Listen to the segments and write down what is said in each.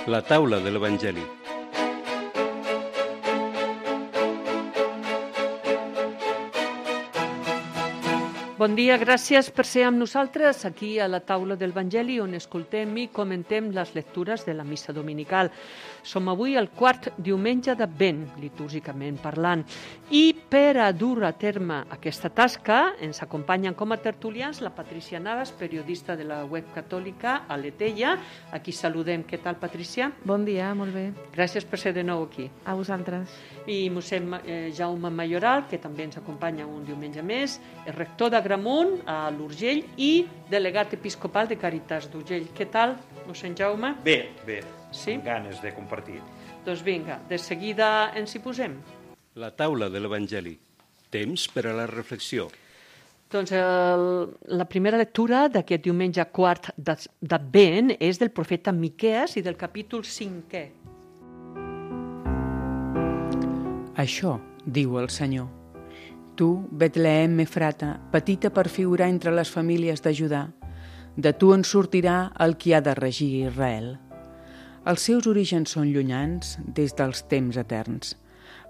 La taula de l'Evangeli. Bon dia, gràcies per ser amb nosaltres aquí a la taula del Vangeli on escoltem i comentem les lectures de la missa dominical. Som avui el quart diumenge d'Advent, litúrgicament parlant, i per a dur a terme aquesta tasca ens acompanyen com a tertulians la Patricia Navas, periodista de la web catòlica a l'Etella. Aquí saludem. Què tal, Patricia? Bon dia, molt bé. Gràcies per ser de nou aquí. A vosaltres. I mossèn Jaume Mayoral, que també ens acompanya un diumenge més, és rector d'Agramunt, a l'Urgell, i delegat episcopal de Càritas d'Urgell. Què tal, mossèn Jaume? Bé, Sí? amb ganes de compartir. Doncs vinga, de seguida ens hi posem. La taula de l'Evangeli. Temps per a la reflexió. Doncs la primera lectura d'aquest diumenge quart d'Advent és del profeta Miquees i del capítol 5è. Això diu el Senyor. Tu, Betlehem Efrata, petita per figurar entre les famílies de Judà, de tu en sortirà el qui ha de regir Israel. Els seus orígens són llunyans des dels temps eterns.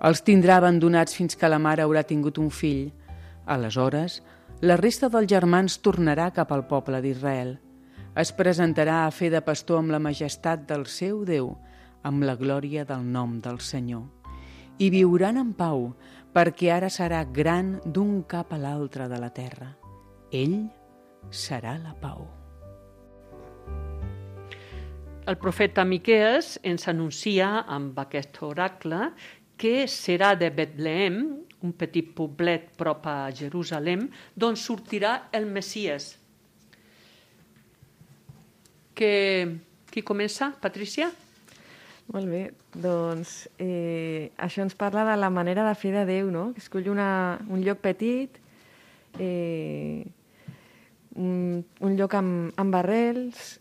Els tindrà abandonats fins que la mare haurà tingut un fill. Aleshores, la resta dels germans tornarà cap al poble d'Israel. Es presentarà a fer de pastor amb la majestat del seu Déu, amb la glòria del nom del Senyor. I viuran en pau, perquè ara serà gran d'un cap a l'altre de la terra. Ell serà la pau. El profeta Miquees ens anuncia amb aquest oracle que serà de Betlehem, un petit poblet prop a Jerusalem, d'on sortirà el Messies. Qui comença? Patricia? Molt bé, doncs això ens parla de la manera de fer de Déu, no? Que escull un lloc petit, un lloc amb arrels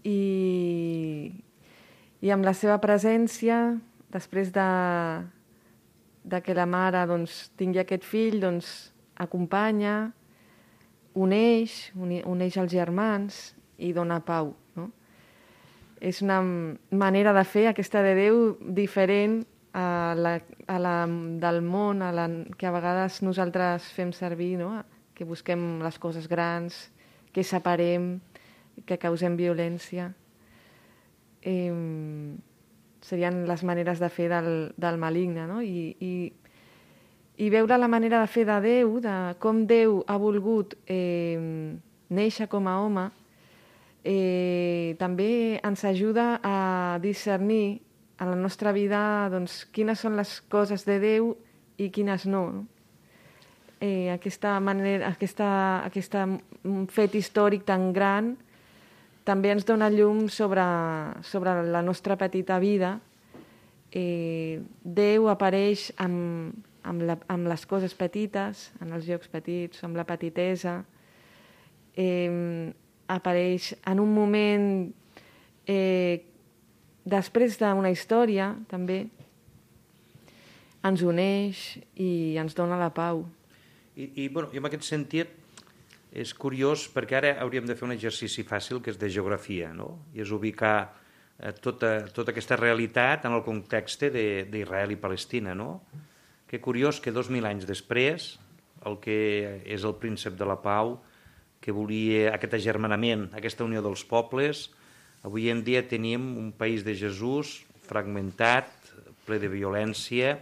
i amb la seva presència, després de que la mare doncs, tingui aquest fill, doncs, acompanya, uneix els germans i dona pau. No? És una manera de fer aquesta de Déu diferent a la del món, que a vegades nosaltres fem servir, no? Que busquem les coses grans, que separem, que causem violència. Serien les maneres de fer del maligne, no? I veure la manera de fer de Déu, de com Déu ha volgut néixer com a home, també ens ajuda a discernir a la nostra vida doncs, quines són les coses de Déu i quines no. Aquesta fet històric tan gran també ens dona llum sobre la nostra petita vida. Déu apareix amb les coses petites, en els llocs petits, amb la petitesa. Apareix en un moment després d'una història, també. Ens uneix i ens dona la pau. I en aquest sentit és curiós perquè ara hauríem de fer un exercici fàcil que és de geografia, no? I és ubicar tota aquesta realitat en el context d'Israel i Palestina, no? Que curiós que 2000 anys després el que és el príncep de la pau, que volia aquest agermanament, aquesta unió dels pobles, avui en dia tenim un país de Jesús fragmentat, ple de violència,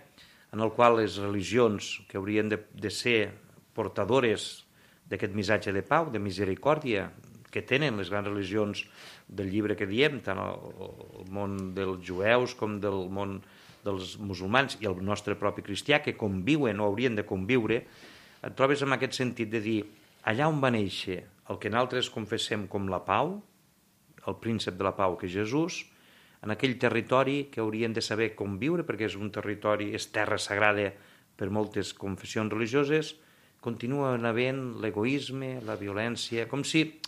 en el qual les religions que haurien de ser portadores d'aquest missatge de pau, de misericòrdia, que tenen les grans religions del llibre que diem, tant el món dels jueus com del món dels musulmans i el nostre propi cristià, que conviuen o haurien de conviure, et trobes en aquest sentit de dir, allà on va néixer el que nosaltres confessem com la pau, el príncep de la pau que és Jesús, en aquell territori que haurien de saber conviure, perquè és un territori, és terra sagrada per moltes confessions religioses, continuen havent l'egoisme, la violència, com si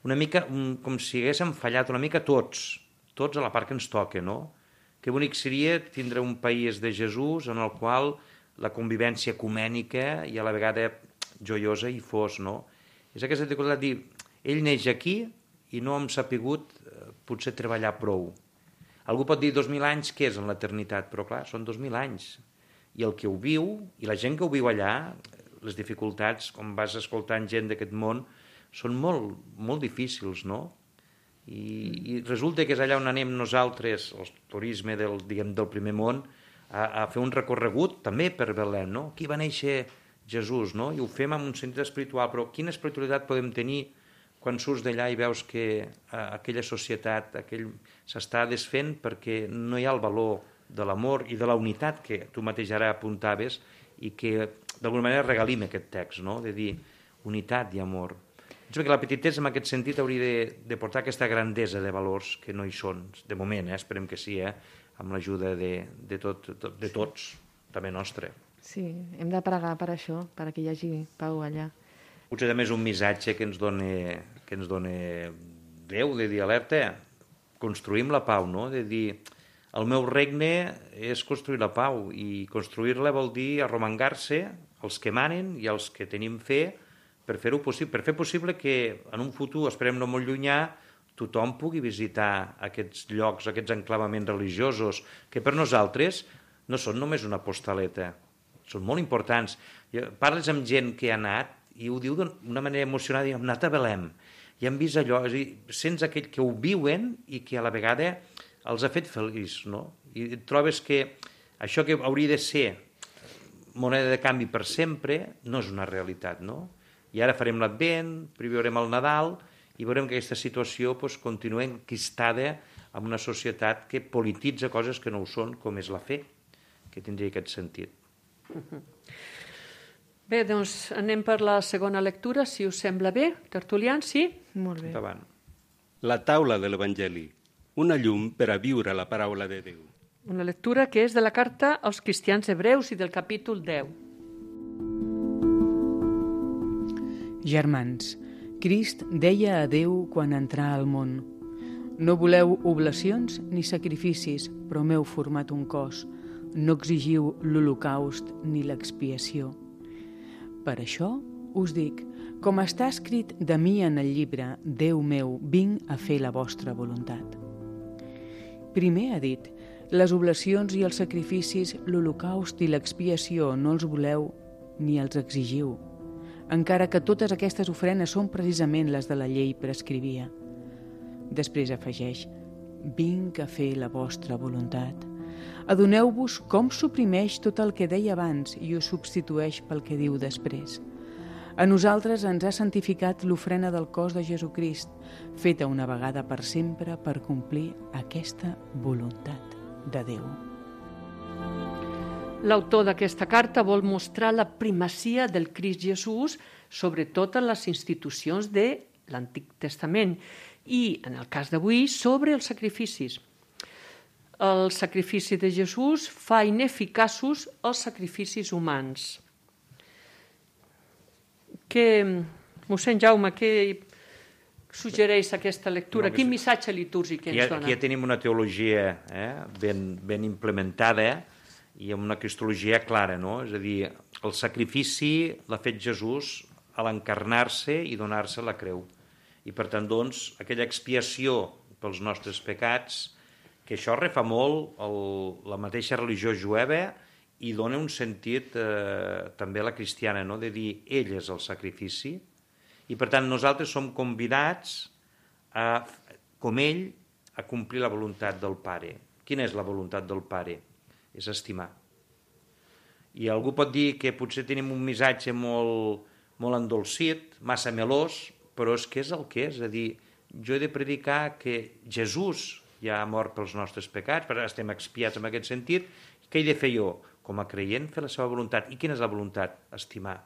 haguéssim fallat una mica tots a la part que ens toca, no? Que bonic seria tindre un país de Jesús en el qual la convivència ecumènica i a la vegada joiosa hi fos, no? És aquesta dificultat de dir, ell neix aquí i no hem sapigut potser treballar prou. Algú pot dir 2.000 anys, què és en l'eternitat? Però clar, són 2.000 anys. I el que ho viu, i la gent que ho viu allà, les dificultats, com vas escoltant gent d'aquest món, són molt, molt difícils, no? I resulta que és allà on anem nosaltres, el turisme del primer món, a fer un recorregut també per Belém, no? Aquí va néixer Jesús, no? I ho fem amb un sentit espiritual, però quina espiritualitat podem tenir quan surts d'allà i veus que aquella societat s'està desfent perquè no hi ha el valor de l'amor i de la unitat que tu mateix ara apuntaves i que d'alguna manera regalim aquest text, no? De dir unitat i amor. Penso que la petitesa en aquest sentit hauria de portar aquesta grandesa de valors que no hi són, de moment, esperem que sí, amb l'ajuda de tots, també nostre. Sí, hem de pregar per això, perquè hi hagi pau allà. Potser també és un missatge que ens dona Déu, de dir, alerta, construïm la pau, no? De dir, el meu regne és construir la pau, i construir-la vol dir arromangar-se els que manen i els que tenim fe per fer-ho possible, per fer possible que en un futur, esperem no molt llunyà, tothom pugui visitar aquests llocs, aquests enclavaments religiosos, que per nosaltres no són només una postaleta, són molt importants. Parles amb gent que ha anat i ho diu d'una manera emocionada, hem anat a Belém, i hem vist allò, és a dir, sents aquell que ho viuen i que a la vegada els ha fet feliç, no? I trobes que això que hauria de ser moneda de canvi per sempre no és una realitat, no? I ara farem l'Advent, viurem el Nadal, i veurem que aquesta situació continua enquistada en una societat que polititza coses que no ho són, com és la fe, que tindria aquest sentit. Bé, doncs anem per la segona lectura, si us sembla bé. Tertulians, sí? Molt bé. Endavant. La taula de l'Evangeli, una llum per a viure la paraula de Déu. Una lectura que és de la carta als cristians hebreus i del capítol 10. Germans, Crist deia a Déu quan entrà al món: no voleu oblacions ni sacrificis, però m'heu format un cos. No exigiu l'holocaust ni l'expiació. Per això us dic, com està escrit de mi en el llibre, Déu meu, vinc a fer la vostra voluntat. Primer ha dit, les oblacions i els sacrificis, l'holocaust i l'expiació no els voleu ni els exigiu, encara que totes aquestes ofrenes són precisament les de la llei prescrivia. Després afegeix, vinc a fer la vostra voluntat. Adoneu-vos com suprimeix tot el que deia abans i ho substitueix pel que diu després. A nosaltres ens ha santificat l'ofrena del cos de Jesucrist, feta una vegada per sempre per complir aquesta voluntat de Déu. L'autor d'aquesta carta vol mostrar la primacia del Crist Jesús sobre totes les institucions de l'Antic Testament i, en el cas d'avui, sobre els sacrificis. El sacrifici de Jesús fa ineficaços els sacrificis humans. Mossèn Jaume, què suggereix aquesta lectura? Quin missatge litúrgic ens dona? Aquí ja tenim una teologia ben implementada i amb una cristologia clara, no? És a dir, el sacrifici l'ha fet Jesús a l'encarnar-se i donar-se la creu. I per tant, doncs, aquella expiació pels nostres pecats, que això refà molt la mateixa religió jueva i dona un sentit també a la cristiana, no? De dir, ell és el sacrifici, i per tant nosaltres som convidats, com ell, a complir la voluntat del Pare. Quina és la voluntat del Pare? És estimar. I algú pot dir que potser tenim un missatge molt endolcit, massa melós, però és que és el que és. És a dir, jo he de predicar que Jesús ja ha mort pels nostres pecats, però estem expiats en aquest sentit. Què he de fer jo? Com a creient, fer la seva voluntat. I quina és la voluntat? Estimar.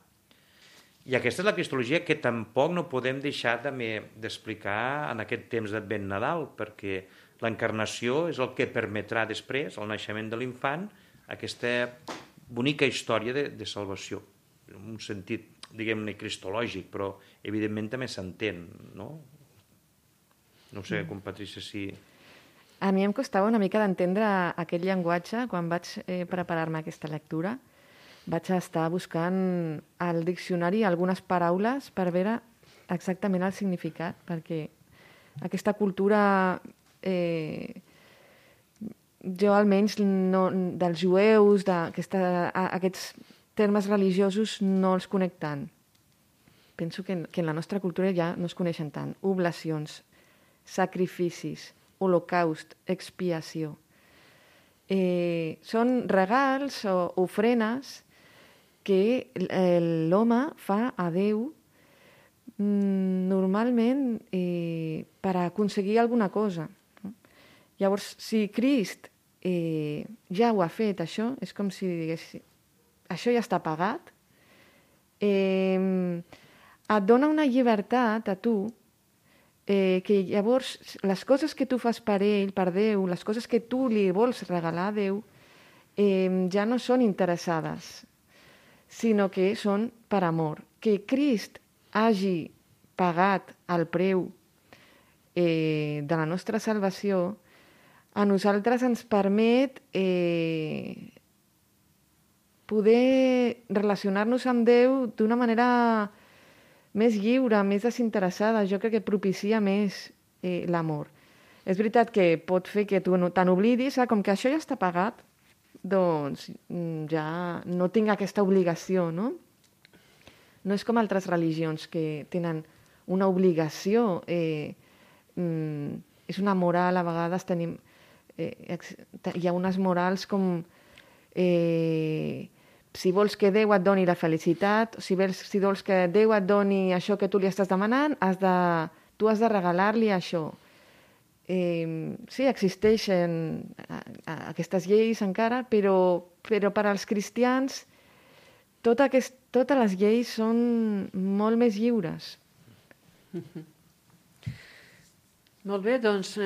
I aquesta és la cristologia que tampoc no podem deixar d'explicar en aquest temps d'Advent Nadal, perquè l'encarnació és el que permetrà després, el naixement de l'infant, aquesta bonica història de salvació. En un sentit, diguem-ne, cristològic, però evidentment també s'entén, no? No sé, com Patrícia, si... A mi em costava una mica d'entendre aquest llenguatge quan vaig preparar-me aquesta lectura. Vaig estar buscant al diccionari algunes paraules per veure exactament el significat, perquè aquesta cultura jo almenys no, dels jueus, aquests termes religiosos no els conec tant. Penso que en la nostra cultura ja no es coneixen tant. Oblacions, sacrificis, holocaust, expiació. Són regals o ofrenes que l'home fa a Déu normalment per aconseguir alguna cosa. Llavors, si Crist ja ho ha fet, això, és com si digués, això ja està pagat, et dona una llibertat a tu, que llavors les coses que tu fas per ell, per Déu, les coses que tu li vols regalar a Déu, ja no són interessades, sinó que són per amor. Que Crist hagi pagat el preu de la nostra salvació, a nosaltres ens permet poder relacionar-nos amb Déu d'una manera més lliure, més desinteressada. Jo crec que propicia més l'amor. És veritat que pot fer que tu te n'oblidis, com que això ja està pagat, doncs ja no tinc aquesta obligació, no? No és com altres religions que tenen una obligació, és una moral, a vegades tenim... hi ha unes morals com si vols que Déu et doni la felicitat, si vols que Déu et doni això que tu li estàs demanant, tu has de regalar-li això. Sí, existeixen aquestes lleis encara, però per als cristians totes les lleis són molt més lliures. Molt bé, doncs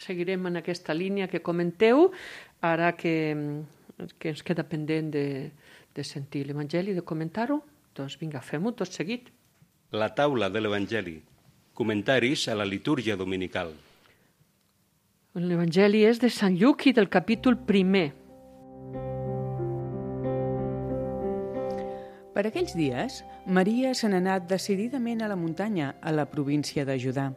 seguirem en aquesta línia que comenteu, ara que ens queda pendent de sentir l'Evangeli, de comentar-ho. Doncs vinga, fem-ho tot seguit. La taula de l'Evangeli. Comentaris a la litúrgia dominical. L'Evangeli és de Sant Lluc i del capítol 1. Per aquells dies, Maria se n'ha anat decididament a la muntanya, a la província de Judà.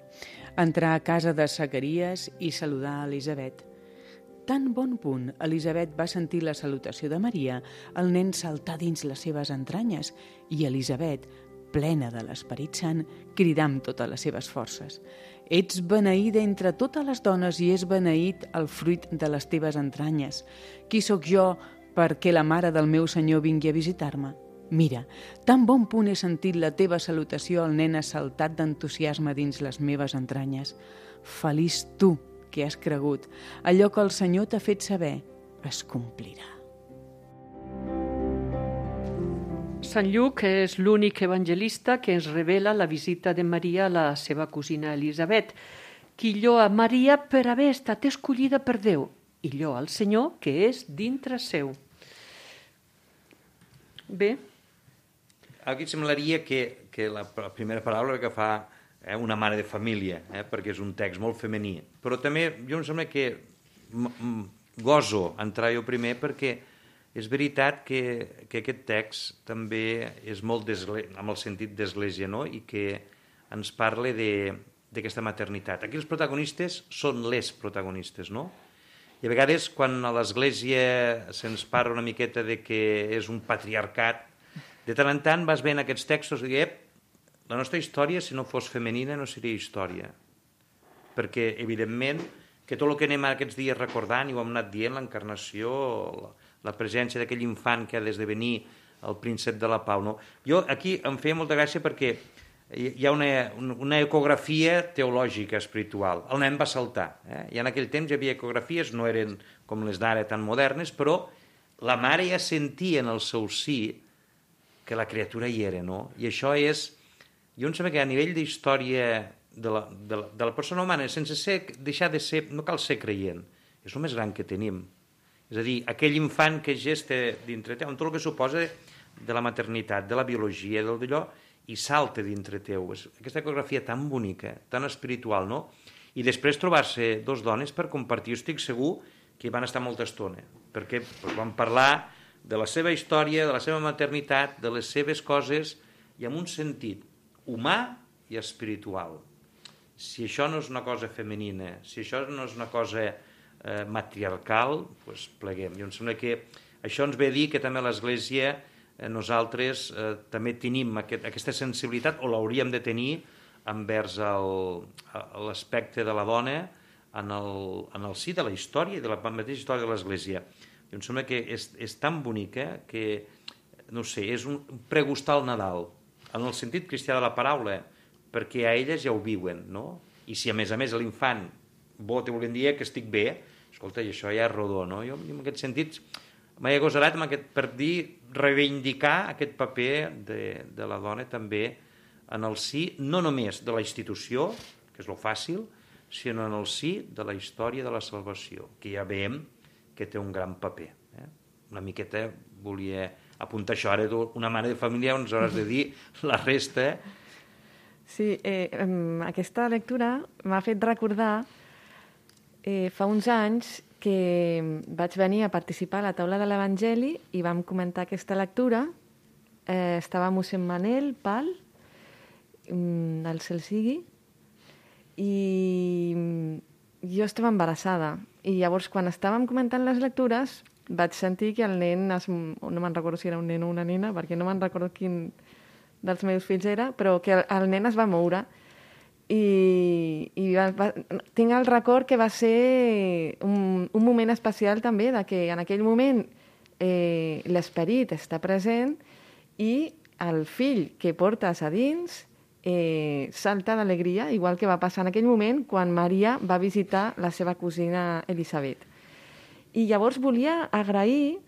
Entrar a casa de Zacaries i saludar a Elisabet. Tan bon punt Elisabet va sentir la salutació de Maria, el nen saltà dins les seves entranyes i Elisabet, plena de l'Esperit Sant, cridà amb totes les seves forces. Ets beneïda entre totes les dones i és beneït el fruit de les teves entranyes. Qui sóc jo perquè la mare del meu Senyor vingui a visitar-me? Mira, tan bon punt he sentit la teva salutació, el nen ha saltat d'entusiasme dins les meves entranyes. Feliç tu que has cregut. Allò que el Senyor t'ha fet saber es complirà. Sant Lluc és l'únic evangelista que ens revela la visita de Maria a la seva cosina Elisabet, qui lloa Maria per haver estat escollida per Déu i lloa al Senyor que és dintre seu. Bé. Aquí semblaria que la primera paraula que fa una mare de família, perquè és un text molt femení. Però també jo em sembla que goso entrar jo primer perquè és veritat que aquest text també és molt amb el sentit d'església, no? I que ens parla d'aquesta maternitat. Aquí els protagonistes són les protagonistes, no? I a vegades quan a l'església se'ns parla una miqueta de que és un patriarcat, de tant en tant vas veient aquests textos i dius, la nostra història, si no fos femenina, no seria història. Perquè, evidentment, que tot el que anem aquests dies recordant, i ho hem anat dient, l'encarnació, la presència d'aquell infant que ha d'esdevenir el príncep de la pau. No? Jo aquí em feia molta gràcia perquè hi ha una ecografia teològica, espiritual. El nen va saltar. I en aquell temps hi havia ecografies, no eren com les d'ara tan modernes, però la mare ja sentia en el seu sí que la criatura hi era, no? I això és... Jo em sembla que a nivell d'història de la persona humana, sense deixar de ser... No cal ser creient, és el més gran que tenim. És a dir, aquell infant que gesta dintre teu, amb tot el que suposa de la maternitat, de la biologia, del d'allò, i salta dintre teu. És aquesta ecografia tan bonica, tan espiritual, no? I després trobar-se dos dones per compartir. Jo estic segur que van estar molta estona, perquè van parlar de la seva història, de la seva maternitat, de les seves coses, i amb un sentit humà i espiritual. Si això no és una cosa femenina, si això no és una cosa matriarcal, doncs pleguem. I em sembla que això ens ve a dir que també l'Església, nosaltres també tenim aquesta sensibilitat, o l'hauríem de tenir, envers l'aspecte de la dona en el si de la història, de la mateixa història de l'Església. I em sembla que és tan bonica que, no sé, és un pregustar el Nadal, en el sentit cristià de la paraula, perquè a elles ja ho viuen, no? I si a més l'infant te volien dir que estic bé, escolta, i això ja és rodó, no? Jo en aquest sentit m'he agosarat per dir, reivindicar aquest paper de la dona també en el si, no només de la institució, que és lo fàcil, sinó en el si de la història de la salvació, que ja veiem que té un gran paper. Una miqueta volia apuntar això. Ara una mare de família ens hauràs de dir la resta. Sí, aquesta lectura m'ha fet recordar fa uns anys que vaig venir a participar a la taula de l'Evangeli i vam comentar aquesta lectura. Estava mossèn Manel Pal, el cel sigui, i jo estava embarassada. I llavors, quan estàvem comentant les lectures, vaig sentir que el nen, no me'n recordo si era un nen o una nena, perquè no me'n recordo quin dels meus fills era, però que el nen es va moure. I tinc el record que va ser un moment especial també, de que en aquell moment l'esperit està present i el fill que portes a dins salta d'alegria, igual que va passar en aquell moment quan Maria va visitar la seva cosina Elisabet. I llavors volia agrair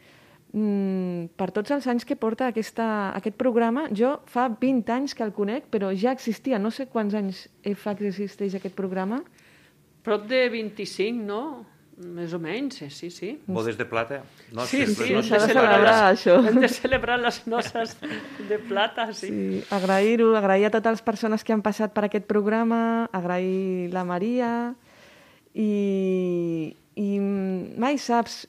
per tots els anys que porta aquest programa. Jo fa 20 anys que el conec, però ja existia. No sé quants anys fa que existeix aquest programa. Prop de 25, no? Més o menys, sí, sí. Bodes de plata? Sí, s'ha de celebrar això. Hem de celebrar les noces de plata, sí. Sí, agrair-ho, agrair a totes les persones que han passat per aquest programa, agrair la Maria i mai saps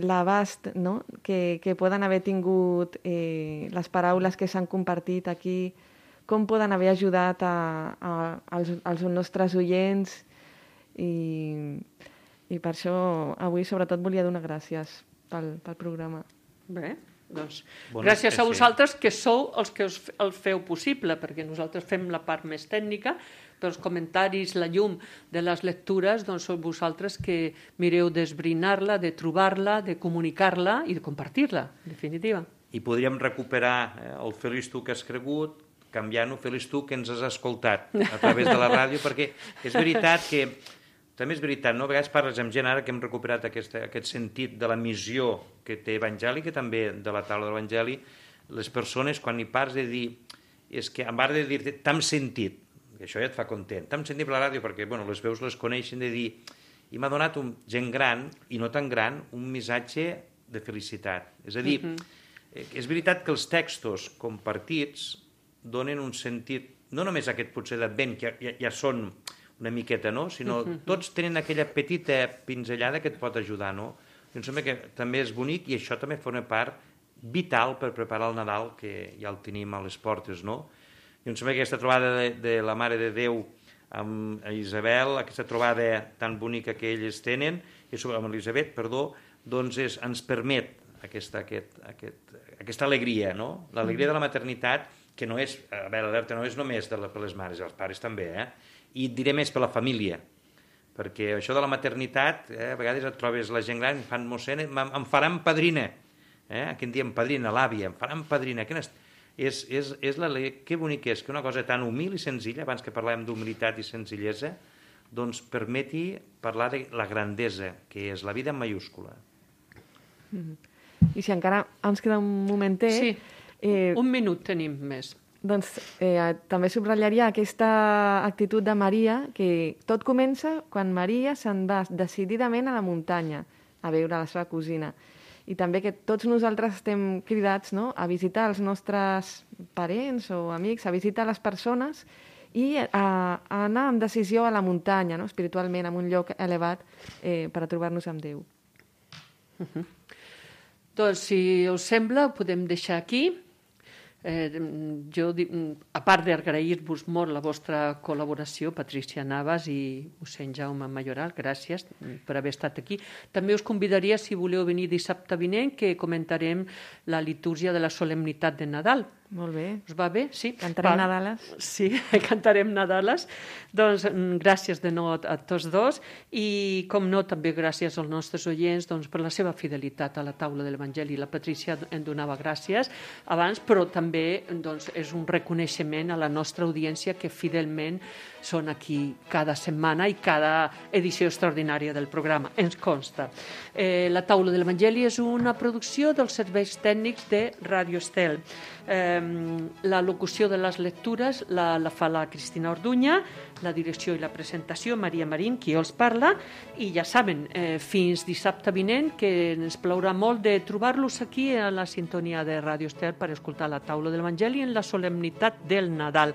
l'abast, no?, que poden haver tingut les paraules que s'han compartit aquí, com poden haver ajudat als nostres oients i per això avui sobretot volia donar gràcies pel programa. Bé, doncs gràcies a vosaltres que sou els que el feu possible, perquè nosaltres fem la part més tècnica, però els comentaris, la llum de les lectures, doncs sou vosaltres que mireu d'esbrinar-la, de trobar-la, de comunicar-la i de compartir-la, en definitiva. I podríem recuperar el feliç tu que has cregut, canviant-ho feliç tu que ens has escoltat a través de la ràdio, perquè és veritat que també és veritat, no? A vegades parles amb gent ara que hem recuperat aquest sentit de la missió que té Evangeli, que també de la taula de l'Evangeli, les persones quan hi parles de dir, és que en bar de dir-te t'hem sentit, que això ja et fa content, t'hem sentit per la ràdio perquè les veus les coneixen, de dir, i m'ha donat gent gran, i no tan gran, un missatge de felicitat. És a dir, és veritat que els textos compartits donen un sentit, no només aquest potser d'advent, que ja són una miqueta, no? Sinó tots tenen aquella petita pinzellada que et pot ajudar, no? I em sembla que també és bonic i això també forma part vital per preparar el Nadal, que ja el tenim a les portes, no? I em sembla que aquesta trobada de la Mare de Déu amb Isabel, aquesta trobada tan bonica que ells tenen, amb Elisabet, perdó, doncs ens permet aquesta alegria, no? L'alegria de la maternitat, que no és, a veure, alerta, no és només per les mares, els pares també, i et diré més per la família, perquè això de la maternitat, a vegades et trobes la gent gran, fan mossèn, em faran padrina, aquí en diem padrina, l'àvia, em faran padrina, que bonic és que una cosa tan humil i senzilla, abans que parlàvem d'humilitat i senzillesa, doncs permeti parlar de la grandesa, que és la vida en mayúscula. I si encara ens queda un momentet... Sí, un minut tenim més. Doncs també subratllaria aquesta actitud de Maria, que tot comença quan Maria se'n va decididament a la muntanya a veure la seva cosina. I també que tots nosaltres estem cridats, no?, a visitar els nostres parents o amics, a visitar les persones i a anar amb decisió a la muntanya, no?, espiritualment, en un lloc elevat per a trobar-nos amb Déu. Doncs, si us sembla, ho podem deixar aquí. Jo, a part d'agrair-vos molt la vostra col·laboració, Patricia Navas i mossèn Jaume Mayoral, gràcies per haver estat aquí. També us convidaria, si voleu venir dissabte vinent, que comentarem la litúrgia de la solemnitat de Nadal. Molt bé. Us va bé? Sí. Cantarem Nadales? Sí, cantarem Nadales. Doncs gràcies de nou a tots dos i, com no, també gràcies als nostres oients per la seva fidelitat a la taula de l'Evangeli. La Patricia en donava gràcies abans, però també és un reconeixement a la nostra audiència que fidelment són aquí cada setmana i cada edició extraordinària del programa, ens consta. La taula de l'Evangeli és una producció dels serveis tècnics de Ràdio Estel. La locució de les lectures la fa la Cristina Orduña, la direcció i la presentació Maria Marín, qui els parla, i ja saben, fins dissabte vinent, que ens plaurà molt de trobar-los aquí a la sintonia de Ràdio Estel per escoltar la taula de l'Evangeli en la solemnitat del Nadal.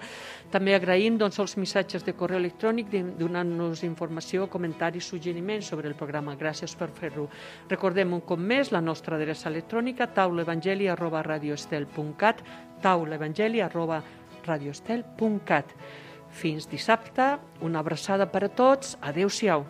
També agraïm els missatges de correu electrònic donant-nos informació, comentaris, suggeriments sobre el programa. Gràcies per fer-ho. Recordem un cop més la nostra adreça electrònica taulaevangeli@radioestel.cat, taulaevangeli@radioestel.cat. Fins dissabte, una abraçada per a tots. Adéu-siau.